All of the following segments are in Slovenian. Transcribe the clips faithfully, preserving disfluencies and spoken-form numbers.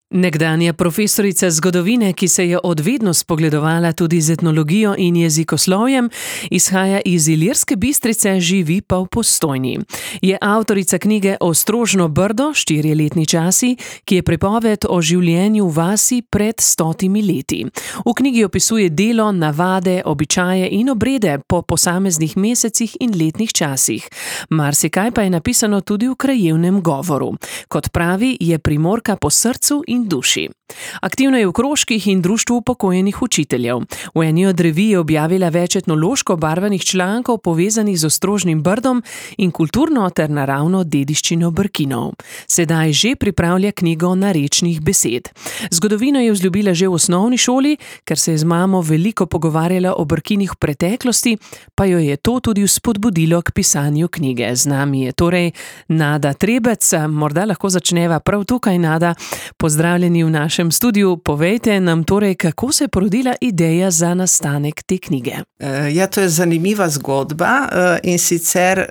Nekdanja profesorica zgodovine, ki se je od vedno spogledovala tudi z etnologijo in jezikoslovjem, izhaja iz Ilirske Bistrice, živi pa v Postojni. Je avtorica knjige Ostrožno Brdo, štirjeletni časi, ki je pripoved o življenju v vasi pred stotimi leti. V knjigi opisuje delo, navade, običaje in obrede po posameznih mesecih in letnih časih. Marsikaj pa je napisano tudi v krajevnem govoru. Kot pravi, je Primorka po srcu in duši. Aktivna je v krožkih in društvu upokojenih učiteljev. V eni od revij je objavila več etnološko barvanih člankov povezanih z Ostrožnim Brdom in kulturno ter naravno dediščino Brkinov. Sedaj že pripravlja knjigo narečnih besed. Zgodovino je vzljubila že v osnovni šoli, ker se je z mamo veliko pogovarjala o Brkinih v preteklosti, pa jo je to tudi vzpodbudilo k pisanju knjige. Z nami je torej Nada Trebec. Morda lahko začneva prav tukaj, Nada. Pozdravljeni v našem studiu. Povejte nam torej, kako se je porodila ideja za nastanek te knjige. Ja, to je zanimiva zgodba in sicer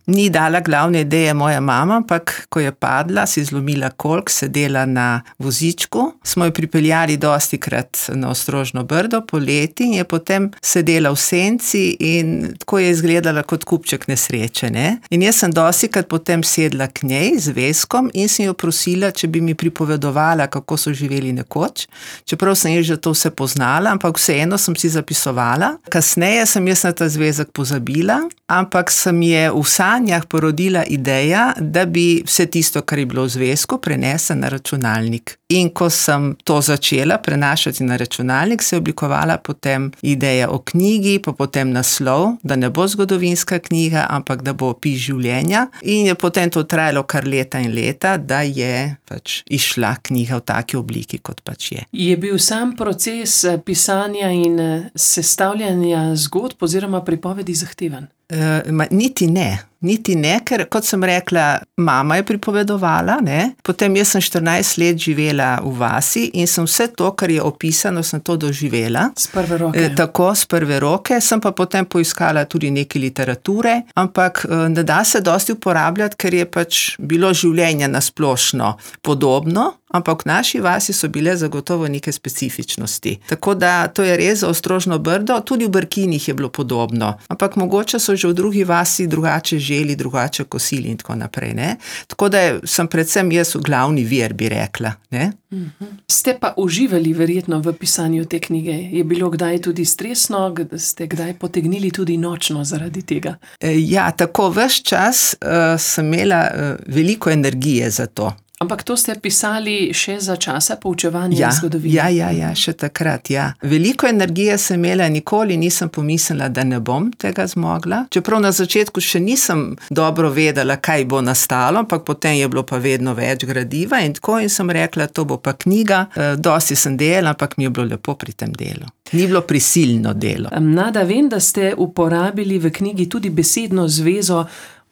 ni dala glavne ideje moja mama, ampak ko je padla, si zlomila kolk, sedela na vozičku, smo jo pripeljali dostikrat na Ostrožno Brdo poleti in je potem sedela v senci in tako je izgledala kot kupček nesreče, ne? In jaz sem dostikrat potem sedla k njej z Veskom in sem jo prosila, če bi mi pripovedovala, kako so živeli nekoč, čeprav sem jaz že to vse poznala, ampak vseeno sem si zapisovala. Kasneje sem jaz na ta zvezek pozabila, ampak sem je v sanjah porodila ideja, da bi vse tisto, kar je bilo v zvezku, prenesla na računalnik. In ko sem to začela prenašati na računalnik, se je oblikovala potem ideja o knjigi, pa potem naslov, da ne bo zgodovinska knjiga, ampak da bo opis življenja. In je potem to trajalo kar leta in leta, da je pač išla knjiga v taki obliki, kot pač je. Je bil sam proces pisanja in sestavljanja zgodb oziroma pripovedi zahteven? Uh, ma, niti ne, niti ne, ker kot sem rekla, mama je pripovedovala, ne? Potem jaz sem štirinajst let živela v vasi in sem vse to, kar je opisano, sem to doživela. S prve roke. E, tako, s prve roke, sem pa potem poiskala tudi nekaj literature, ampak ne da se dosti uporabljati, ker je pač bilo življenje nasplošno podobno, ampak v naši vasi so bile zagotovo neke specifičnosti. Tako da to je res za Ostrožno Brdo, tudi v Brkinih je bilo podobno, ampak mogoče so že v drugi vasi drugače želi, drugače kosili in tako naprej, ne. Tako da sem predvsem jaz glavni vir, bi rekla, ne. Uh-huh. Ste pa uživali verjetno v pisanju te knjige. Je bilo kdaj tudi stresno, ste kdaj potegnili tudi nočno zaradi tega? E, ja, tako ves čas uh, sem imela uh, veliko energije za to. Ampak to ste pisali še za časa poučevanja ja, zgodovine? Ja, ja, ja, še takrat, ja. Veliko energije sem imela, nikoli nisem pomislila, da ne bom tega zmogla. Čeprav na začetku še nisem dobro vedela, kaj bo nastalo, ampak potem je bilo pa vedno več gradiva in tako in sem rekla, to bo pa knjiga. E, dosti sem delala, ampak mi je bilo lepo pri tem delu. Ni bilo prisilno delo. Nada, vem, da ste uporabili v knjigi tudi besedno zvezo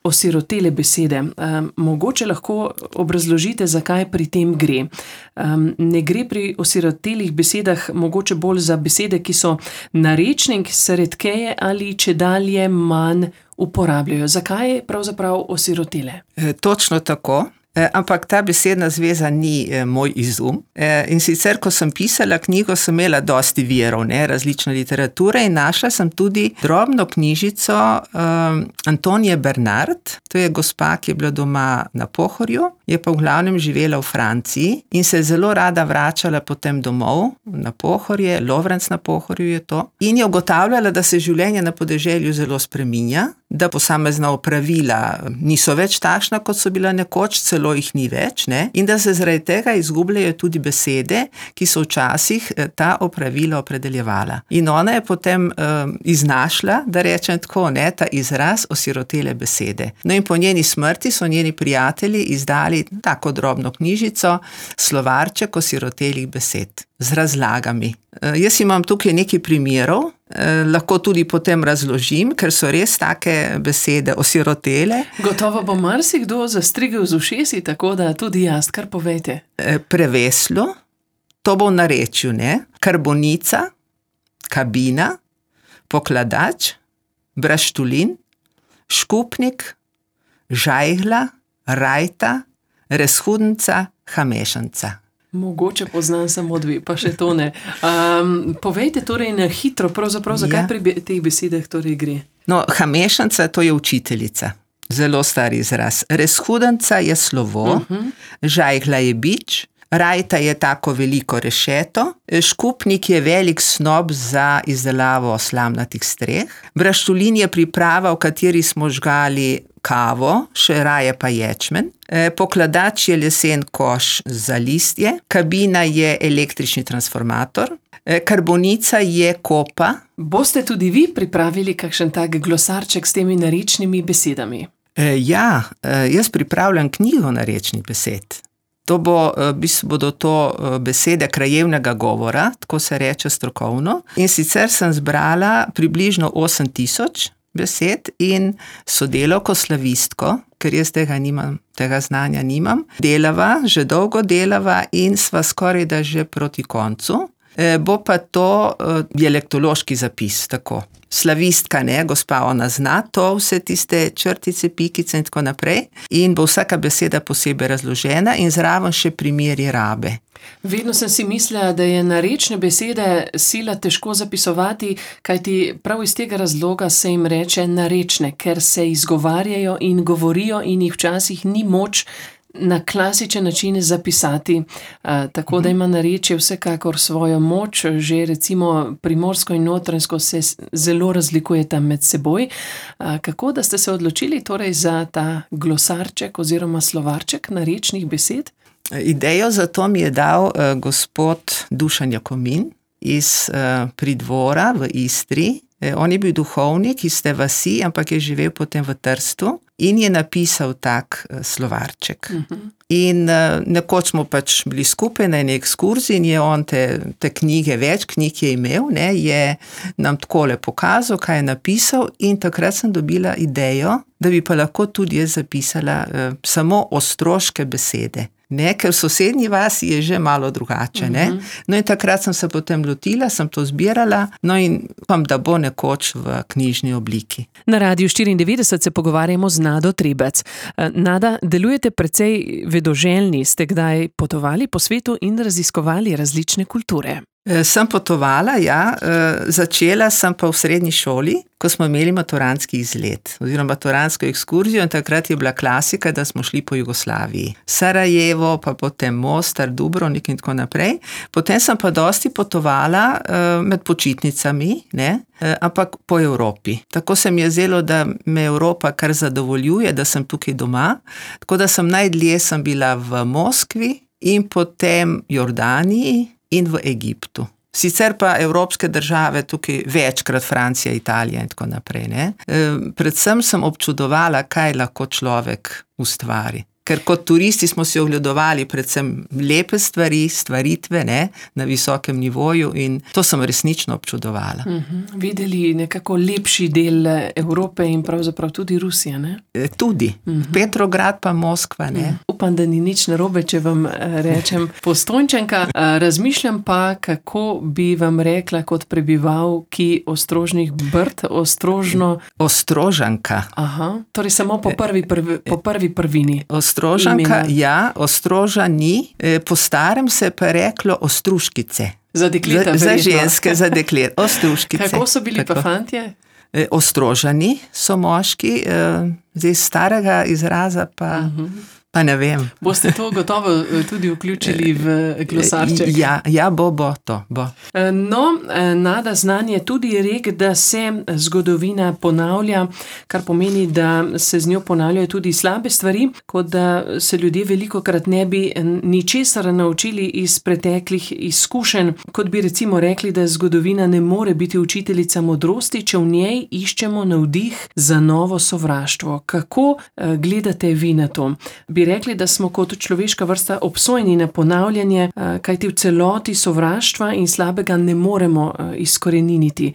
osirotele besede. Um, mogoče lahko obrazložite, zakaj pri tem gre. Um, ne gre pri osirotelih besedah mogoče bolj za besede, ki so narečne in ki se redkeje ali čedalje manj uporabljajo. Zakaj pravzaprav osirotele? E, točno tako. E, ampak ta besedna zveza ni e, moj izum. E, in sicer, ko sem pisala knjigo, sem imela dosti virov, ne, različne literature in našla sem tudi drobno knjižico um, Antonije Bernard. To je gospa, ki je bila doma na Pohorju, je pa v glavnem živela v Franciji in se je zelo rada vračala potem domov na Pohorje, Lovrenc na Pohorju je to. In je ugotavljala, da se življenje na podeželju zelo spreminja, da posamezna opravila niso več takšna, kot so bila nekoč, celo jih ni več, ne? In da se zaradi tega izgubljajo tudi besede, ki so včasih ta opravila opredeljevala. In ona je potem um, iznašla, da rečem tako, ne, ta izraz osirotele besede. No in po njeni smrti so njeni prijatelji izdali tako drobno knjižico, slovarček osirotelih besed z razlagami. Uh, jaz imam tukaj nekaj primerov, Eh, lahko tudi potem razložim, ker so res take besede osirotele. Gotovo bo marsikdo zastrigel z ušesi, tako da tudi jaz, kar povejte. Eh, preveslo, to bo v narečju, ne? Karbonica, kabina, pokladač, braštulin, škupnik, žajgla, rajta, rezhudnica, hamešanca. Mogoče poznam samo dve, pa še to ne. Um, povejte torej na hitro, pravzaprav, zakaj ja. pri teh besedah torej gre? No, hamešanca, to je učiteljica. Zelo star izraz. Rezhudanca je slovo, uh-huh. žajhla je bič, rajta je tako veliko rešeto, škupnik je velik snob za izdelavo slamnatih streh, braštulin je priprava, v kateri smo žgali kavo, še raje pa ječmen, pokladač je lesen koš za listje, kabina je električni transformator, karbonica je kopa. Boste tudi vi pripravili kakšen tak glosarček s temi narečnimi besedami? E, ja, jaz pripravljam knjigo narečnih besed. To bo, bodo to besede krajevnega govora, tako se reče strokovno. In sicer sem zbrala približno osem tisoč besed in sodelavko slavistko, ker jaz tega nimam, tega znanja nimam, delava, že dolgo delava in sva skoraj da že proti koncu. E, bo pa to e, dialektološki zapis, tako. Slavistka, ne, gospa, ona zna to, vse tiste črtice, pikice in tako naprej. In bo vsaka beseda posebej razložena in zraven še primeri rabe. Vedno sem si mislila, da je narečne besede sila težko zapisovati, kajti prav iz tega razloga se jim reče narečne, ker se izgovarjajo in govorijo in jih včasih ni moč na klasičen način zapisati, uh, tako da ima narečje vsekakor svojo moč, že recimo primorsko in notranjsko se zelo razlikujeta med seboj. Uh, kako da ste se odločili torej za ta glosarček oziroma slovarček narečnih besed? Idejo za to mi je dal uh, gospod Dušan Jakomin iz uh, Pridvora v Istri. E, on je bil duhovnik iz te vasi, ampak je živel potem v Trstu in je napisal tak uh, slovarček. Uh-huh. In uh, nekoč smo pač bili skupaj na eni ekskurziji in je on te, te knjige, več knjig je imel, ne, je nam takole pokazal, kaj je napisal in takrat sem dobila idejo, da bi pa lahko tudi jaz zapisala uh, samo ostroške besede. Ne, ker v sosednji vasi je že malo drugače, ne. Uh-huh. No in takrat sem se potem lotila, sem to zbirala, no in upam, da bo nekoč v knjižni obliki. Na Radiu štiriindevetdeset se pogovarjamo z Nado Trebec. Nada, delujete precej vedoželjni, ste kdaj potovali po svetu in raziskovali različne kulture? Sem potovala, ja, začela sem pa v srednji šoli, ko smo imeli maturantski izlet, oziroma maturantsko ekskurzijo in takrat je bila klasika, da smo šli po Jugoslaviji. Sarajevo, pa potem Mostar, Dubrovnik in tako naprej. Potem sem pa dosti potovala med počitnicami, ne, ampak po Evropi. Tako se mi je zdelo, da me Evropa kar zadovoljuje, da sem tukaj doma, tako da sem najdlje sem bila v Moskvi in potem Jordaniji in v Egiptu. Sicer pa evropske države tukaj večkrat, Francija, Italija in tako naprej, ne. E, predvsem sem občudovala, kaj lahko človek ustvari. Ker kot turisti smo si ogledovali predvsem lepe stvari, stvaritve, ne, na visokem nivoju in to sem resnično občudovala. Uh-huh. Videli nekako lepši del Evrope in pravzaprav tudi Rusije, ne? E, tudi. Uh-huh. Petrograd pa Moskva, ne. Uh-huh. Upam, da ni nič narobe, če vam rečem Postojnčanka. Razmišljam pa, kako bi vam rekla kot prebivalki Ostrožnih Brd, Ostrožno... Ostrožanka. Aha, torej samo po prvi, prvi, po prvi prvini. Ostrožanka, ja, Ostrožani, po starem se pa reklo Ostruškice. Za dekleta, za, za ženske, za deklet, Ostruškice. Kako so bili tako pa fantje? Ostrožani so moški, zdaj starega izraza pa... Uh-huh. Pa ne vem. Boste to gotovo tudi vključili v glosarček? Ja, ja, bo, bo, to, bo. No, Nada, znanje je tudi rek, da se zgodovina ponavlja, kar pomeni, da se z njo ponavljajo tudi slabe stvari, kot da se ljudje velikokrat ne bi ničesar naučili iz preteklih izkušenj, kot bi recimo rekli, da zgodovina ne more biti učiteljica modrosti, če v njej iščemo navdih za novo sovraštvo. Kako gledate vi na to? Bi rekli, da smo kot človeška vrsta obsojeni na ponavljanje, kajti v celoti sovraštva in slabega ne moremo izkoreniniti.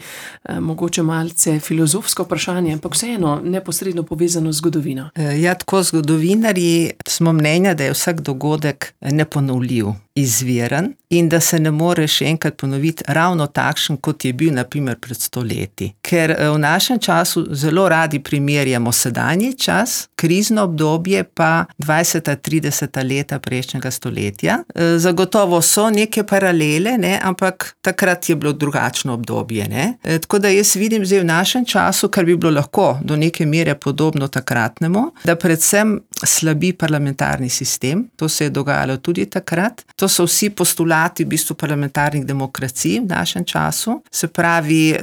Mogoče malce filozofsko vprašanje, ampak vseeno neposredno povezano z zgodovino. Ja, tako zgodovinarji smo mnenja, da je vsak dogodek neponovljiv, izviren in da se ne more še enkrat ponoviti ravno takšen, kot je bil naprimer pred sto leti. Ker v našem času zelo radi primerjamo sedanji čas, krizno obdobje pa dvajseta, trideseta leta prejšnjega stoletja. Zagotovo so neke paralele, ne, ampak takrat je bilo drugačno obdobje. Ne. Tako da jaz vidim zdaj v našem času, kar bi bilo lahko do neke mere podobno takratnemu, da predvsem slabi parlamentarni sistem. To se je dogajalo tudi takrat. To so vsi postulati v bistvu parlamentarnih demokracij v našem času. Se pravi,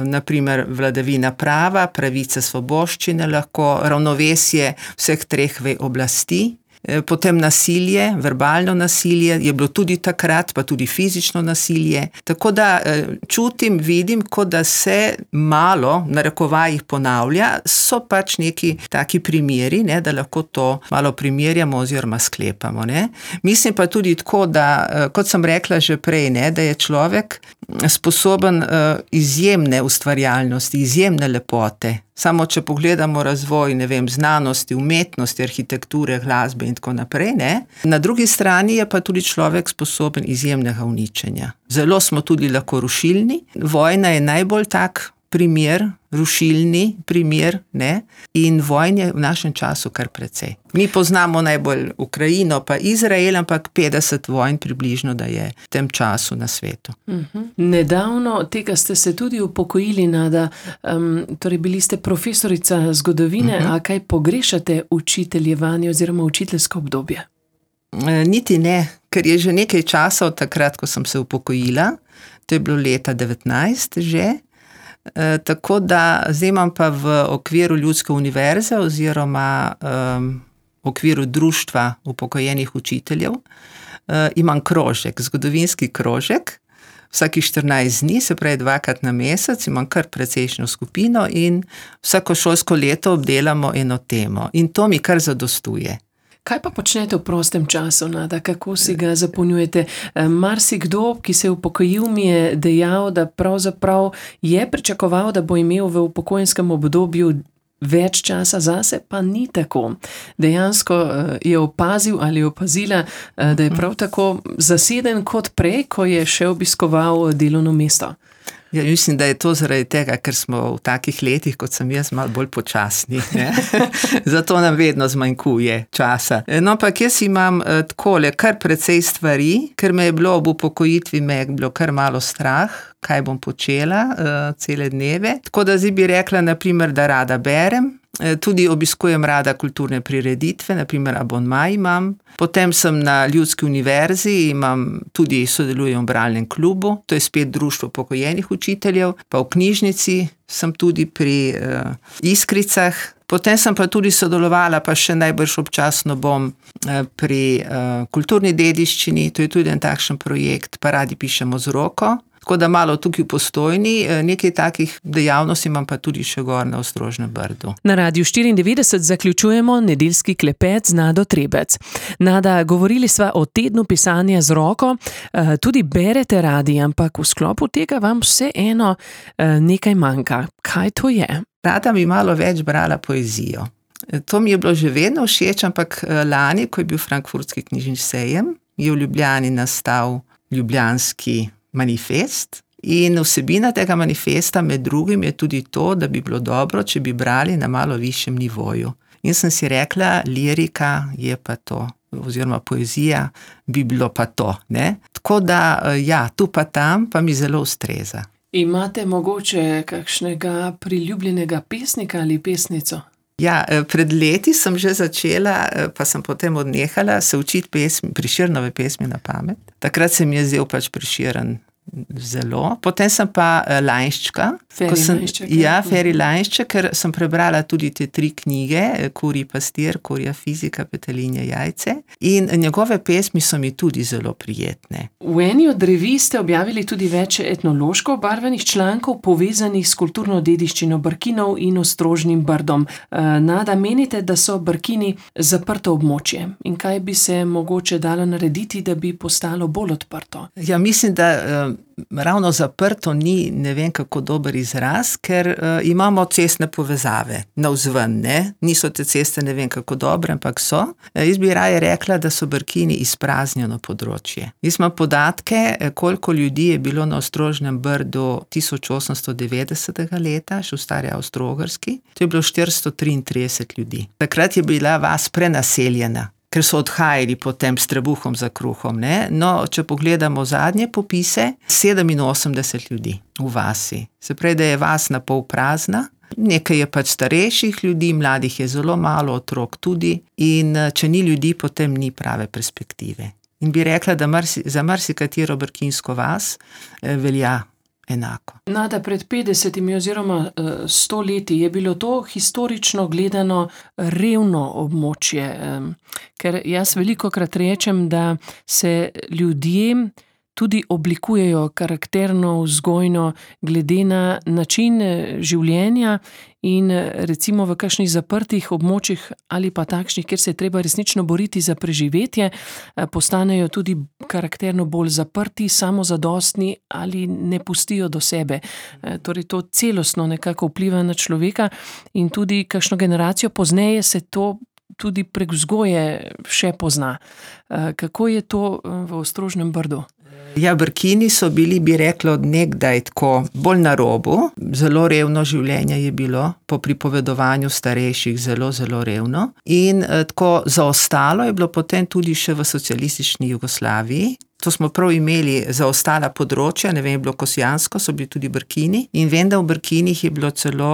naprimer vladavina prava, pravice, svoboščine, lahko ravnovesje vseh treh vej oblasti. Potem nasilje, verbalno nasilje, je bilo tudi takrat, pa tudi fizično nasilje. Tako da čutim, vidim, kot da se malo, na narekovajih ponavlja, so pač neki taki primeri, ne, da lahko to malo primerjamo oziroma sklepamo. Ne. Mislim pa tudi tako, da, kot sem rekla že prej, ne, da je človek sposoben izjemne ustvarjalnosti, izjemne lepote. Samo če pogledamo razvoj, ne vem, znanosti, umetnosti, arhitekture, glasbe in tako naprej, ne. Na drugi strani je pa tudi človek sposoben izjemnega uničenja. Zelo smo tudi lahko rušilni. Vojna je najbolj tak primer, rušilni primer, ne, in vojn je v našem času kar precej. Mi poznamo najbolj Ukrajino pa Izrael, ampak petdeset vojn približno, da je v tem času na svetu. Uh-huh. Nedavno tega ste se tudi upokojili, Nada, um, torej bili ste profesorica zgodovine, uh-huh. A kaj pogrešate učiteljevanje oziroma učiteljsko obdobje? E, niti ne, ker je že nekaj časa od takrat, ko sem se upokojila, to je bilo leta devetnajst že. E, tako da zdaj imam pa v okviru Ljudske univerze oziroma um, v okviru društva upokojenih učiteljev uh, imam krožek, zgodovinski krožek, vsakih štirinajst dni, se pravi dvakrat na mesec, imam kar precejšnjo skupino in vsako šolsko leto obdelamo eno temo in to mi kar zadostuje. Kaj pa počnete v prostem času, Nada? Kako si ga zapolnjujete? Marsikdo, ki se je upokojil, mi je dejal, da pravzaprav je pričakoval, da bo imel v upokojenskem obdobju več časa zase, pa ni tako. Dejansko je opazil ali opazila, da je prav tako zaseden kot prej, ko je še obiskoval delovno mesto. Ja, mislim, da je to zaradi tega, ker smo v takih letih, kot sem jaz, malo bolj počasni. Ne? Zato nam vedno zmanjkuje časa. No, ampak jaz imam eh, takole kar precej stvari, ker me je bilo ob upokojitvi, me je bilo kar malo strah, kaj bom počela eh, cele dneve. Tako da zdaj bi rekla, naprimer, da rada berem. Tudi obiskujem rada kulturne prireditve, naprimer abonma imam. Potem sem na Ljudski univerzi, imam tudi sodelujem v bralnem klubu, to je spet društvo upokojenih učiteljev, pa v knjižnici sem tudi pri uh, Iskricah. Potem sem pa tudi sodelovala, pa še najbrž občasno bom uh, pri uh, kulturni dediščini, to je tudi en takšen projekt, pa radi pišemo z roko. Tako da malo tukaj v Postojni, nekaj takih dejavnosti imam pa tudi še gor na Ostrožnem Brdu. Na Radiu štiriindevetdeset zaključujemo nedeljski klepet z Nado Trebec. Nada, govorili sva o tednu pisanja z roko, tudi berete radi, ampak v sklopu tega vam vseeno nekaj manjka. Kaj to je? Rada bi malo več brala poezijo. To mi je bilo že vedno všeč, ampak lani, ko je bil Frankfurtski knjižni sejem, je v Ljubljani nastal Ljubljanski manifest in vsebina tega manifesta med drugim je tudi to, da bi bilo dobro, če bi brali na malo višjem nivoju. In sem si rekla, lirika je pa to, oziroma poezija bi bilo pa to. Ne? Tako da, ja, tu pa tam pa mi zelo ustreza. Imate mogoče kakšnega priljubljenega pesnika ali pesnico? Ja, pred leti sem že začela, pa sem potem odnehala se učiti pesmi, Prešernove pesmi na pamet. Takrat se mi je zdel pač Prešeren zelo. Potem sem pa Lainščka. Feri Lainšček. Ja, Feri Lainšček, ker sem prebrala tudi te tri knjige, Kurji pastir, Kurja fizika, Petelinje jajce. In njegove pesmi so mi tudi zelo prijetne. V eni od revij ste objavili tudi več etnološko obarvanih člankov povezanih s kulturno dediščino Brkinov in Ostrožnim Brdom. Nada, menite, da so Brkini zaprto območje? In kaj bi se mogoče dalo narediti, da bi postalo bolj odprto? Ja, mislim, da uh, ravno zaprto ni, ne vem kako dober izraz, ker uh, imamo cestne povezave navzven, ne? Niso te ceste ne vem kako dobre, ampak so. Uh, jaz bi raje rekla, da so Brkini izpraznjeno področje. Jaz imam podatke, koliko ljudi je bilo na Ostrožnem Brdu tisoč osemsto devetdesetega leta, še v stari Avstro-Ogrski. To je bilo štiristo triintrideset ljudi. Takrat je bila vas prenaseljena. ker so odhajali potem s trebuhom za kruhom. Ne? No, če pogledamo zadnje popise, sedeminosemdeset ljudi v vasi. Se pravi, da je vas na pol prazna. Nekaj je pač starejših ljudi, mladih je zelo malo, otrok tudi, in če ni ljudi, potem ni prave perspektive. In bi rekla, da marsi, za marsikatero brkinsko vas eh, velja enako. Nada, pred petdesetimi oziroma sto leti je bilo to historično gledano revno območje, ker jaz velikokrat rečem, da se ljudje tudi oblikujejo karakterno, vzgojno, glede na način življenja in recimo v kakšnih zaprtih območjih ali pa takšnih, kjer se je treba resnično boriti za preživetje, postanejo tudi karakterno bolj zaprti, samozadostni ali ne pustijo do sebe. Torej to celostno nekako vpliva na človeka in tudi kakšno generacijo pozneje se to tudi prek vzgoje še pozna. Kako je to v Ostrožnem Brdu? Ja, Brkini so bili, bi rekla, od nekdaj tako bolj na robu. Zelo revno življenje je bilo, po pripovedovanju starejših zelo, zelo revno. In eh, tako zaostalo je bilo potem tudi še v socialistični Jugoslaviji. To smo prav imeli za ostala področja, ne vem, je bilo Kosjansko, so bili tudi Brkini. In vem, da v Brkinih je bilo celo,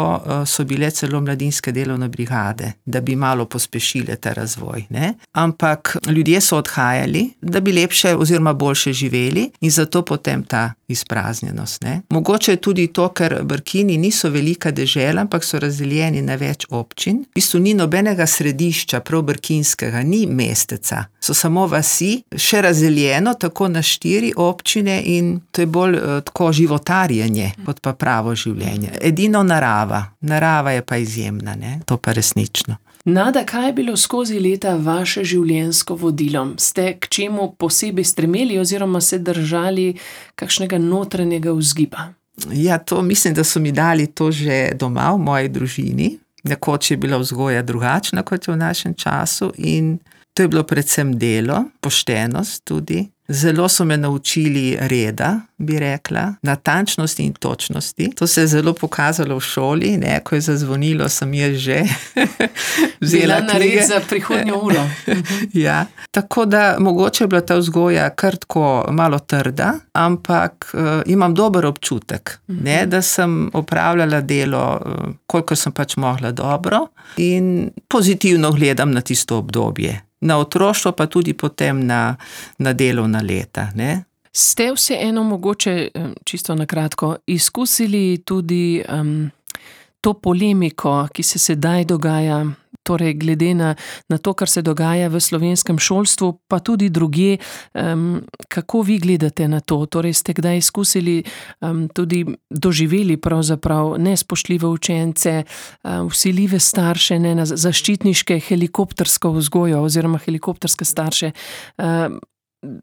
so bile celo mladinske delovne brigade, da bi malo pospešile ta razvoj. Ne? Ampak ljudje so odhajali, da bi lepše oziroma boljše živeli in zato potem ta izpraznjenost. Ne? Mogoče je tudi to, ker Brkini niso velika dežela, ampak so razdeljeni na več občin. V bistvu ni nobenega središča, prav brkinskega, ni mesteca. So samo vasi, še razdeljeno, tako na štiri občine in to je bolj uh, tako životarjenje, kot pa pravo življenje. Edino narava. Narava je pa izjemna, ne? To pa resnično. Nada, kaj je bilo skozi leta vaše življenjsko vodilo? Ste k čemu posebej stremeli oziroma se držali kakšnega notranjega vzgiba? Ja, to mislim, da so mi dali to že doma v moji družini. Nekoč je bila vzgoja drugačna, kot je v našem času in to je bilo predvsem delo, poštenost tudi. Zelo so me naučili reda, bi rekla, natančnosti in točnosti. To se je zelo pokazalo v šoli, ne, ko je zazvonilo, sem jaz že vzela knjige. Nared za prihodnjo uro. Ja, tako da mogoče je bila ta vzgoja kar tako malo trda, ampak uh, imam dober občutek, ne, da sem opravljala delo, uh, kolikor sem pač mogla dobro in pozitivno gledam na tisto obdobje. Na otroštvo, pa tudi potem na, na delovna leta. Ne? Ste vseeno mogoče, čisto na kratko, izkusili tudi um, to polemiko, ki se sedaj dogaja, torej glede na, na to, kar se dogaja v slovenskem šolstvu, pa tudi drugje, um, kako vi gledate na to? Torej ste kdaj izkusili, um, tudi doživeli pravzaprav nespoštljive učence, um, vsiljive starše, ne, na zaščitniške helikoptersko vzgojo oziroma helikopterske starše? Um,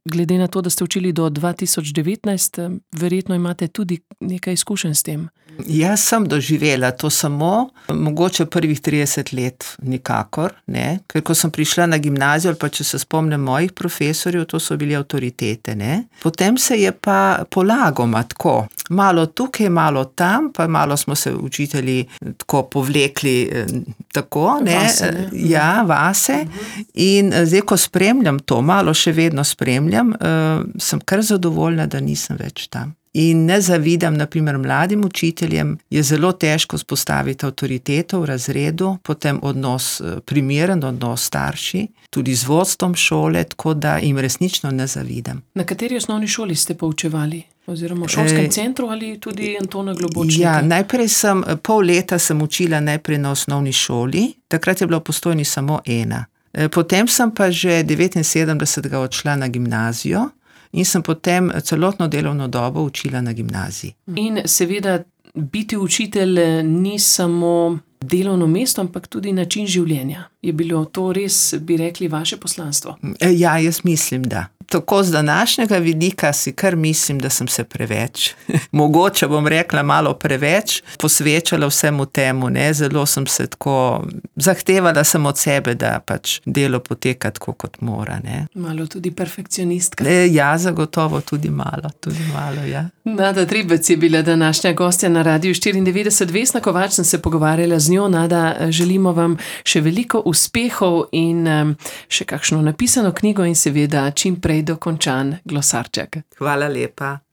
glede na to, da ste učili do dva tisoč devetnajst, verjetno imate tudi nekaj izkušenj s tem. Jaz sem doživela to samo, mogoče prvih trideset let nikakor, ne? Ker ko sem prišla na gimnazijo, ali pa če se spomnim mojih profesorjev, to so bili avtoritete. Ne? Potem se je pa polagoma tako, malo tukaj, malo tam, pa malo smo se učitelji tako povlekli tako, ne? Vase, ne? Ja, vase. In zdaj, ko spremljam to, malo še vedno spremljam, uh, sem kar zadovoljna, da nisem več tam. In ne zavidam, na primer, mladim učiteljem, je zelo težko spostaviti avtoriteto v razredu, potem odnos primeren, odnos starši, tudi z vodstvom šole, tako da jim resnično ne zavidam. Na kateri osnovni šoli ste poučevali? Oziroma v šolskem e, centru ali tudi Antona Globočnika? Ja, najprej sem, pol leta sem učila najprej na osnovni šoli, takrat je bila v Postojni samo ena. Potem sem pa že devetinsedemdesetega odšla na gimnazijo, in sem potem celotno delovno dobo učila na gimnaziji. In seveda biti učitelj ni samo delovno mesto, ampak tudi način življenja. Je bilo to res, bi rekli, vaše poslanstvo? Ja, jaz mislim, da. tako z današnjega vidika si kar mislim, da sem se preveč, mogoče bom rekla malo preveč, posvečala vsemu temu, ne, zelo sem se tako, zahtevala sem od sebe, da pač delo poteka tako, kot mora, ne. Malo tudi perfekcionistka. E, ja, zagotovo tudi malo, tudi malo, ja. Nada Tribec je bila današnja gostja na Radiu štiriindevetdeset. Vesna Kovač sem se pogovarjala z njo. Nada, želimo vam še veliko uspehov in um, še kakšno napisano knjigo in seveda čim prej dokončan glosarček. Hvala lepa.